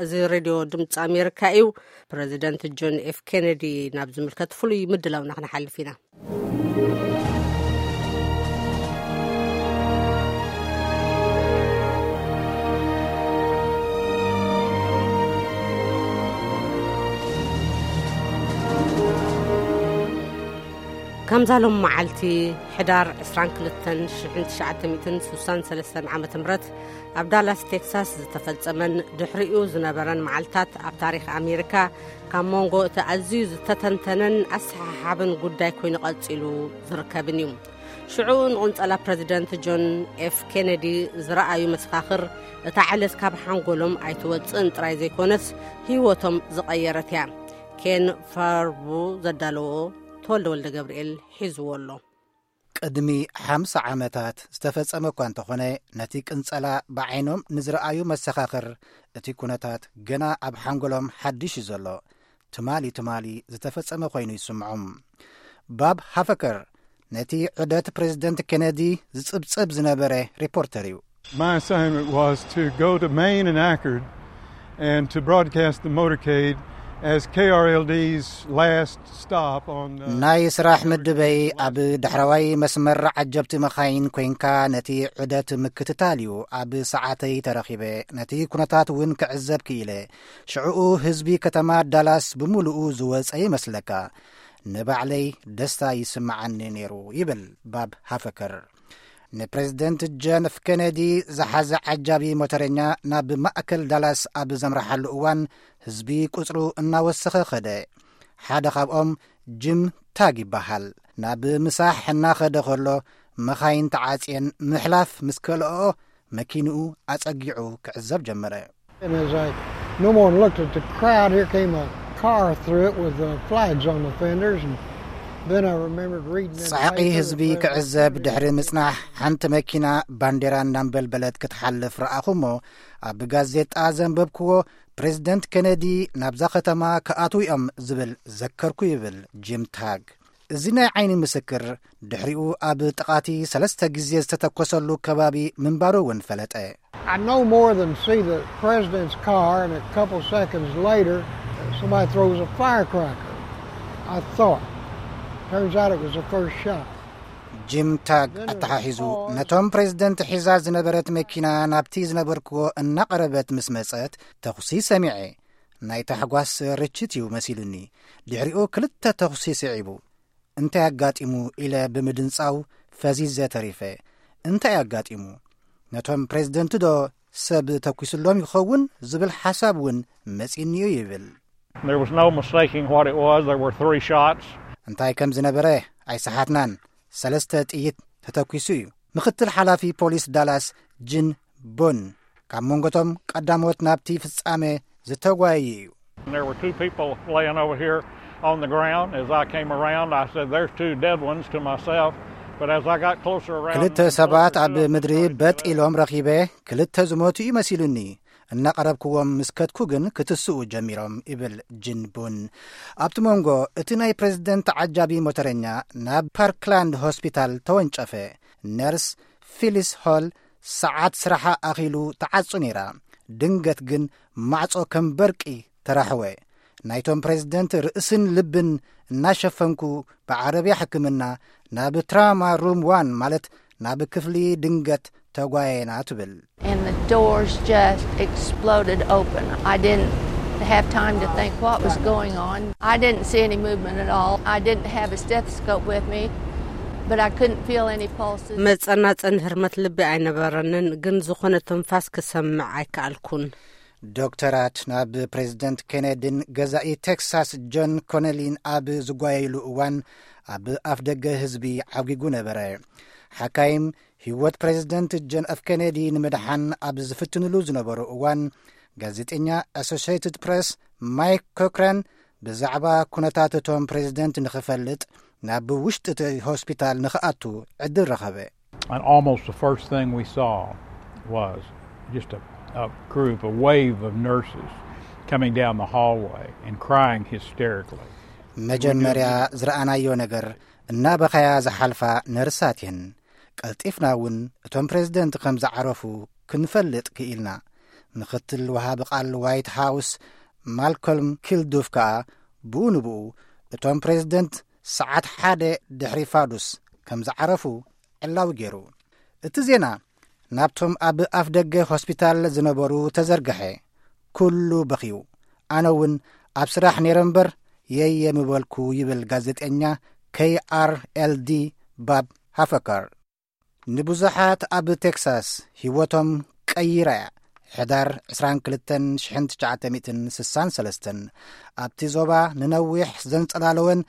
እዚ ሬድዮ ድምፂ ኣሜሪካ እዩ። ፕረዚደንት ጆን ኤፍ ኬነዲ ናብ ዝምልከት ፍሉይ ምድላውና ክንሓልፍ ኢና። ከምዛ ሎም መዓልቲ ሕዳር ዕስራን ክልተን ሽሕን ትሽዓተ ሚእትን ስሳን ሰለስተን ዓመተ ምህረት ኣብ ዳላስ ቴክሳስ ዝተፈጸመን ድሕሪኡ ዝነበረን መዓልታት ኣብ ታሪኽ ኣሜሪካ ካብ መንጎ እቲ ኣዝዩ ዝተተንተነን ኣሰሓሓብን ጉዳይ ኮይኑ ቀጺሉ ዝርከብን እዩ። ሽዑ ንቕንጸላ ፕረዚደንት ጆን ኤፍ ኬነዲ ዝረኣዩ መሰኻኽር፣ እታ ዕለት ካብ ሓንጎሎም ኣይትወጽእን ጥራይ ዘይኮነስ ህይወቶም ዝቐየረት እያ። ኬን ፋርቡ ዘዳለዎ ተወልደ ወልደ ገብርኤል ሒዝዎ ኣሎ። ቅድሚ ሓምሳ ዓመታት ዝተፈጸመ እኳ እንተኾነ፣ ነቲ ቅንጸላ ብዓይኖም ንዝረኣዩ መሰኻኽር እቲ ኩነታት ገና ኣብ ሓንጎሎም ሓድሽ እዩ ዘሎ። ትማሊ ትማሊ ዝተፈጸመ ኮይኑ ይስምዖም። ባብ ሃፈከር ነቲ ዑደት ፕሬዝደንት ኬነዲ ዝጽብጽብ ዝነበረ ሪፖርተር እዩ። My assignment was to go to Maine and Akron and to broadcast the motorcade as K R L D's last stop on the ናይ ስራሕ ምድበይ ኣብ ዳሕረዋይ መስመር ዓጀብቲ መኻይን ኮይንካ ነቲ ዑደት ምክትታል እዩ። ኣብ ሰዓተይ ተረኺበ፣ ነቲ ኩነታት እውን ክዕዘብ ክኢለ። ሽዕኡ ህዝቢ ከተማ ዳላስ ብምሉኡ ዝወጸ ይመስለካ። ንባዕለይ ደስታ ይስምዓኒ ነይሩ ይብል ባብ ሃፈከር። ንፕሬዝደንት ጆን ኤፍ ኬነዲ ዝሓዘ ዓጃቢ ሞተረኛ ናብ ማእከል ዳላስ ኣብ ዘምርሓሉ እዋን ህዝቢ ቁጽሩ እናወሰኸ ኸደ። ሓደ ካብኦም ጅም ታግ ይበሃል። ናብ ምሳሕ እናኸደ ኸሎ መኻይን ተዓጽየን ምሕላፍ ምስ ከልኦ መኪንኡ ኣጸጊዑ ክዕዘብ ጀመረ። And as I no more looked at the crowd, here came a car through it with the flags on the fenders, and then I remembered reading in the ጻዕቂ paper ህዝቢ that there was ክዕዘብ ድሕሪ ምጽናሕ ሓንቲ መኪና ባንዴራ እናንበልበለት ክትሓልፍ ረኣኹ እሞ ኣብ ጋዜጣ ዘንበብክዎ ፕሬዝደንት ኬነዲ ናብዛ ከተማ ክኣትዉ እዮም ዝብል ዘከርኩ ይብል ጂም ታግ። እዚ ናይ ዓይኒ ምስክር ድሕሪኡ ኣብ ጥቓቲ ሰለስተ ግዜ ዝተተኮሰሉ ከባቢ ምንባሩ እውን ፈለጠ። I no more than see the president's car, and a couple seconds later, somebody throws a firecracker. I thought. Turns out it was the first shot. ጂም ታግ ኣተሓሒዙ ነቶም ፕሬዝደንት ሒዛ ዝነበረት መኪና ናብቲ ዝነበርክዎ እናቐረበት ምስ መጸት ተኹሲ ሰሚዐ። ናይ ታሕጓስ ርችት እዩ መሲሉኒ። ድሕሪኡ ክልተ ተኹሲ ስዒቡ። እንታይ ኣጋጢሙ ኢለ ብምድንጻው ፈዚዘ ተሪፈ። እንታይ ኣጋጢሙ? ነቶም ፕሬዝደንት ዶ ሰብ ተኩስሎም ይኸውን ዝብል ሓሳብ እውን መጺኒ እዩ ይብል። There was no mistaking what it was. There were three shots. እንታይ ከም ዝነበረ ኣይሰሓትናን። ሰለስተ ጥይት ተተኩሱ እዩ። ምኽትል ሓላፊ ፖሊስ ዳላስ ጅን ቦን ካብ መንጎቶም ቀዳሞት ናብቲ ፍጻመ ዝተጓየዩ እዩ። There were two people laying over here on the ground. As I came around, I said, "There's two dead ones," to myself. But as I got closer around, ክልተ ሰባት ኣብ ምድሪ በጥ ኢሎም ረኺበ፣ ክልተ ዝሞቱ እዩ መሲሉኒ። እናቐረብክዎም ምስ ከድኩ ግን ክትስኡ ጀሚሮም ይብል ጅን ቡን። ኣብቲ መንጎ እቲ ናይ ፕሬዝደንት ዓጃቢ ሞተረኛ ናብ ፓርክላንድ ሆስፒታል ተወንጨፈ። ነርስ ፊሊስ ሆል ሰዓት ስራሓ ኣኺሉ ተዓጹ ነይራ። ድንገት ግን ማዕጾ ከም በርቂ ተራሕወ። ናይቶም ፕሬዝደንት ርእስን ልብን እናሸፈንኩ ብዓረብያ ሕክምና ናብ ትራማ ሩም ዋን ማለት ናብ ክፍሊ ድንገት ተጓየና ትብል። And the doors just exploded open. I didn't have time to think what was going on. I didn't see any movement at all. I didn't have a stethoscope with me, but I couldn't feel any pulses. መጸናጸን ህርመት ልቢ ኣይነበረንን፣ ግን ዝኾነ ትንፋስ ክሰምዕ ኣይከኣልኩን። ዶክተራት ናብ ፕሬዝደንት ኬነዲን ገዛኢ ቴክሳስ ጆን ኮነሊን ኣብ ዝጓየሉ እዋን ኣብ ኣፍ ደገ ህዝቢ ዓጒጉ ነበረ። ሓካይም ህይወት ፕሬዝደንት ጆን ኤፍ ኬነዲ ንምድሓን ኣብ ዝፍትንሉ ዝነበሩ እዋን ጋዜጠኛ ኣሶሽየትድ ፕሬስ ማይክ ኮክረን ብዛዕባ ኩነታት እቶም ፕሬዝደንት ንኽፈልጥ ናብ ውሽጢ እቲ ሆስፒታል ንኽኣቱ ዕድል ረኸበ። And almost the first thing we saw was just a, a group, a wave of nurses coming down the hallway and crying hysterically. መጀመርያ ዝረኣናዮ ነገር እናበኸያ ዝሓልፋ ነርሳት እየን። ቀልጢፍና እውን እቶም ፕሬዝደንት ከም ዝዓረፉ ክንፈልጥ ክኢልና። ምኽትል ወሃቢ ቃል ዋይት ሃውስ ማልኮልም ኪልዱፍ ከኣ ብኡ ንብኡ እቶም ፕሬዝደንት ሰዓት ሓደ ድሕሪ ፋዱስ ከም ዝዓረፉ ዕላዊ ገይሩ። እቲ ዜና ናብቶም ኣብ ኣፍ ደገ ሆስፒታል ዝነበሩ ተዘርግሐ። ኩሉ በኽዩ። ኣነ እውን ኣብ ስራሕ ነይረ እምበር የየ ምበልኩ ይብል ጋዜጠኛ ኬይ ኣር ኤል ዲ ባብ ሃፈከር። ንብዙሓት ኣብ ቴክሳስ ህይወቶም ቀይራ እያ። ሕዳር ዕስራን ክልተን ሽሕን ትሽዓተ ሚእትን ስሳን ሰለስተን ኣብቲ ዞባ ንነዊሕ ዘንጸላለወን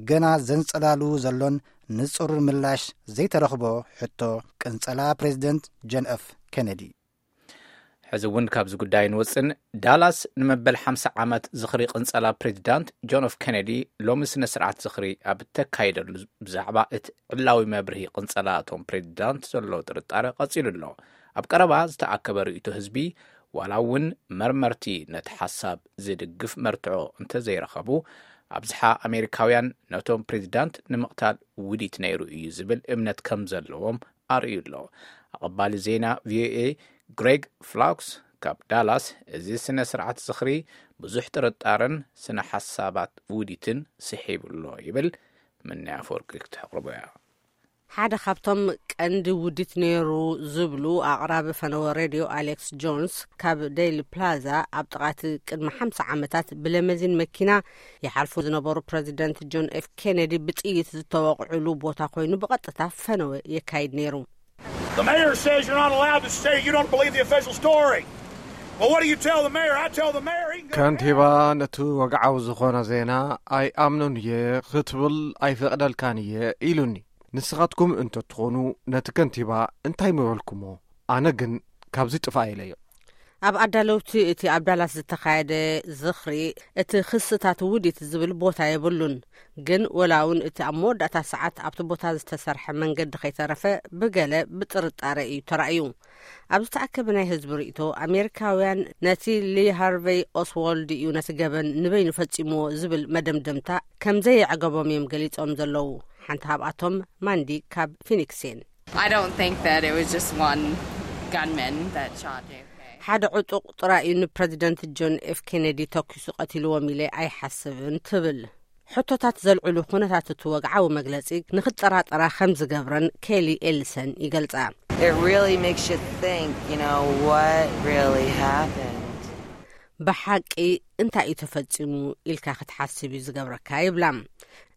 ገና ዘንጸላሉ ዘሎን ንጹር ምላሽ ዘይተረኽቦ ሕቶ ቅንጸላ ፕሬዚደንት ጆን ኤፍ ኬነዲ። ሕዚ እውን ካብዚ ጉዳይ ንወፅን። ዳላስ ንመበል ሓምሳ ዓመት ዝኽሪ ቅንጸላ ፕሬዚዳንት ጆን ኤፍ ኬነዲ ሎሚ ስነ ስርዓት ዝኽሪ ኣብ እተካየደሉ ብዛዕባ እቲ ዕላዊ መብርሂ ቅንጸላ እቶም ፕሬዚዳንት ዘሎ ጥርጣረ ቀጺሉ ኣሎ። ኣብ ቀረባ ዝተኣከበ ርእይቶ ህዝቢ ዋላ እውን መርመርቲ ነቲ ሓሳብ ዝድግፍ መርትዖ እንተዘይረኸቡ ኣብዝሓ ኣሜሪካውያን ነቶም ፕሬዚዳንት ንምቕታል ውዲት ነይሩ እዩ ዝብል እምነት ከም ዘለዎም ኣርእዩ ኣሎ። ኣቐባሊ ዜና ቪኦኤ ግሬግ ፍላክስ ካብ ዳላስ እዚ ስነ ስርዓት ዝኽሪ ብዙሕ ጥርጣረን ስነ ሓሳባት ውዲትን ስሒቡ ኣሎ ይብል። ምንያ ኣፈወርቂ ክትሕቕርቦ እያ። ሓደ ካብቶም ቀንዲ ውዲት ነይሩ ዝብሉ ኣቕራቢ ፈነወ ሬድዮ ኣሌክስ ጆንስ ካብ ዴይሊ ፕላዛ ኣብ ጥቓቲ ቅድሚ ሓምሳ ዓመታት ብለመዚን መኪና ይሓልፉ ዝነበሩ ፕረዚደንት ጆን ኤፍ ኬነዲ ብጥይት ዝተወቕዕሉ ቦታ ኮይኑ ብቐጥታ ፈነወ የካይድ ነይሩ። The mayor says you're not allowed to say you don't believe the official story. Well, what do you tell the mayor? I tell the mayor he can go to ከንቲባ ነቲ ወግዓዊ ዝኾነ ዜና ኣይኣምኖን እየ ክትብል ኣይፈቕደልካን እየ ኢሉኒ። ንስኻትኩም እንተትኾኑ ነቲ ከንቲባ እንታይ ምበልኩሞ? ኣነ ግን ካብዚ ጥፋእ ኢለዮ። ኣብ ኣዳለውቲ እቲ ኣብ ዳላስ ዝተኻየደ ዝኽሪ እቲ ክስታት ውዲት ዝብል ቦታ የብሉን። ግን ወላ እውን እቲ ኣብ መወዳእታ ሰዓት ኣብቲ ቦታ ዝተሰርሐ መንገዲ ከይተረፈ ብገለ ብጥርጣረ እዩ ተራእዩ። ኣብ ዝተኣከበ ናይ ህዝቢ ርእይቶ ኣሜሪካውያን ነቲ ሊ ሃርቨይ ኦስዋልድ እዩ ነቲ ገበን ንበይኑ ፈጺምዎ ዝብል መደምደምታ ከም ዘየዕገቦም እዮም ገሊጾም ዘለዉ። ሓንቲ ካብኣቶም ማንዲ ካብ ፊኒክስ እየን። I don't think that it was just one gunman that shot J F K. ሓደ ዕጡቕ ጥራይ እዩ ንፕረዚደንት ጆን ኤፍ ኬነዲ ተኪሱ ቀቲልዎም ኢለ ኣይሓስብን ትብል። ሕቶታት ዘልዕሉ ኩነታት እቲ ወግዓዊ መግለጺ ንኽጠራጠራ ከም ዝገብረን ኬሊ ኤልሰን ይገልጻ። It really makes you think, you know, what really happened. ብሓቂ እንታይ እዩ ተፈጺሙ ኢልካ ክትሓስብ እዩ ዝገብረካ ይብላ።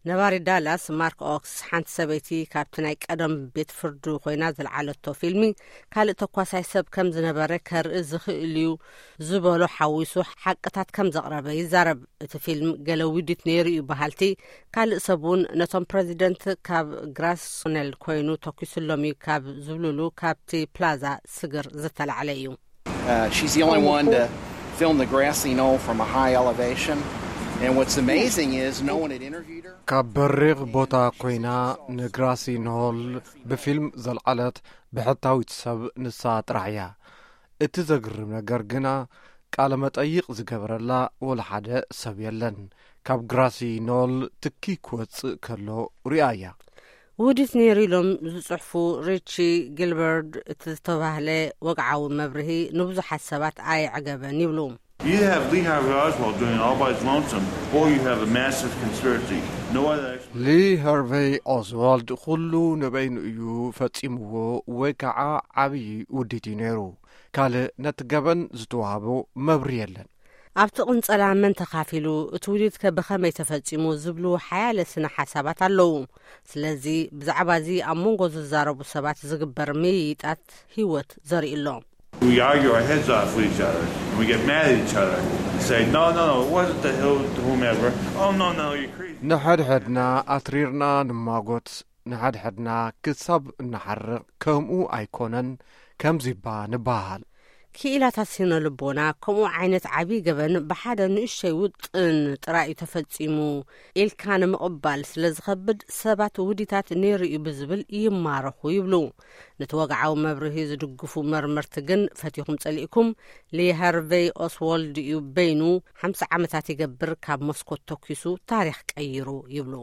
ነባሪ ዳላስ ማርክ ኦክስ ሓንቲ ሰበይቲ ካብቲ ናይ ቀደም ቤት ፍርዱ ኮይና ዝለዓለቶ ፊልሚ ካልእ ተኳሳይ ሰብ ከም ዝነበረ ከርኢ ዝኽእል እዩ ዝበሎ ሓዊሱ ሓቅታት ከም ዘቕረበ ይዛረብ። እቲ ፊልም ገለ ውዲት ነይሩ እዩ በሃልቲ ካልእ ሰብ እውን ነቶም ፕረዚደንት ካብ ግራስኔል ኮይኑ ተኪሱሎም እዩ ካብ ዝብልሉ ካብቲ ፕላዛ ስግር ዝተላዕለ እዩ። Uh, she's the only one to film the grassy knoll from a high elevation. And what's amazing is no one had interviewed her. ካብ በሪቕ ቦታ ኮይና ንግራሲ ኖል ብፊልም ዘልዓለት ብሕታዊት ሰብ ንሳ ጥራሕ እያ። እቲ ዘግርም ነገር ግና ቃለ መጠይቕ ዝገበረላ ወላ ሓደ ሰብ የለን። ካብ ግራሲ ኖል ትኪ ክወጽእ ከሎ ሪኣ እያ። ውዲት ነይሩ ኢሎም ዝጽሕፉ ሪቺ ጊልበርድ እቲ ዝተባህለ ወግዓዊ መብርሂ ንብዙሓት ሰባት ኣየዕገበን ይብሉ። You have Lee Harvey Oswald doing it all by his lonesome, or you have a massive conspiracy. No other explanation. ሊ ሃርቨይ ኦስዋልድ ኩሉ ንበይኑ እዩ ፈጺምዎ ወይ ከዓ ዓብዪ ውዲት እዩ ነይሩ። ካልእ ነቲ ገበን ዝተዋህቦ መብሪ የለን። ኣብቲ ቅንጸላ መን ተኻፊሉ፣ እቲ ውዲትከ ብኸመይ ተፈጺሙ ዝብሉ ሓያለ ስነ ሓሳባት ኣለዉ። ስለዚ ብዛዕባ እዚ ኣብ መንጎ ዝዛረቡ ሰባት ዝግበር ምይይጣት ህይወት ዘርኢ ኣሎ። We argue our heads off with each other, and we get mad at each other and say, "No, no, no, it wasn't the hill to whomever. Oh, no, no, you're crazy." ንሓድሕድና ኣትሪርና ንማጎት፣ ንሓድሕድና ክሳብ እንሓርቕ ከምኡ ኣይኮነን ከምዚባ ንበሃል። ክኢላታት ስነ ልቦና ከምኡ ዓይነት ዓብዪ ገበን ብሓደ ንእሽተይ ውጥን ጥራይ እዩ ተፈጺሙ ኢልካ ንምቕባል ስለ ዝኸብድ ሰባት ውዲታት ነይሩ እዩ ብዝብል ይማረኹ ይብሉ። ነቲ ወግዓዊ መብርሂ ዝድግፉ መርመርቲ ግን ፈቲኹም ጸሊእኩም ሊ ሃርቨይ ኦስዋልድ እዩ በይኑ ሓምሳ ዓመታት ይገብር ካብ መስኮት ተኪሱ ታሪኽ ቀይሩ ይብሉ።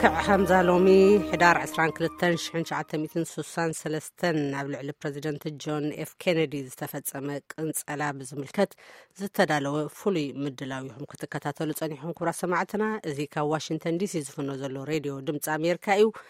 ልክዕ ከምዛ ሎሚ ሕዳር ዕስራን ክልተን ሽሕን ትሽዓተ ሚእትን ስሳን ሰለስተን ኣብ ልዕሊ ፕረዚደንት ጆን ኤፍ ኬነዲ ዝተፈጸመ ቅንጸላ ብዝምልከት ዝተዳለወ ፍሉይ ምድላው ኢኹም ክትከታተሉ ጸኒሕኩም። ክቡራት ሰማዕትና፣ እዚ ካብ ዋሽንግተን ዲሲ ዝፍኖ ዘሎ ሬድዮ ድምፂ ኣሜሪካ እዩ።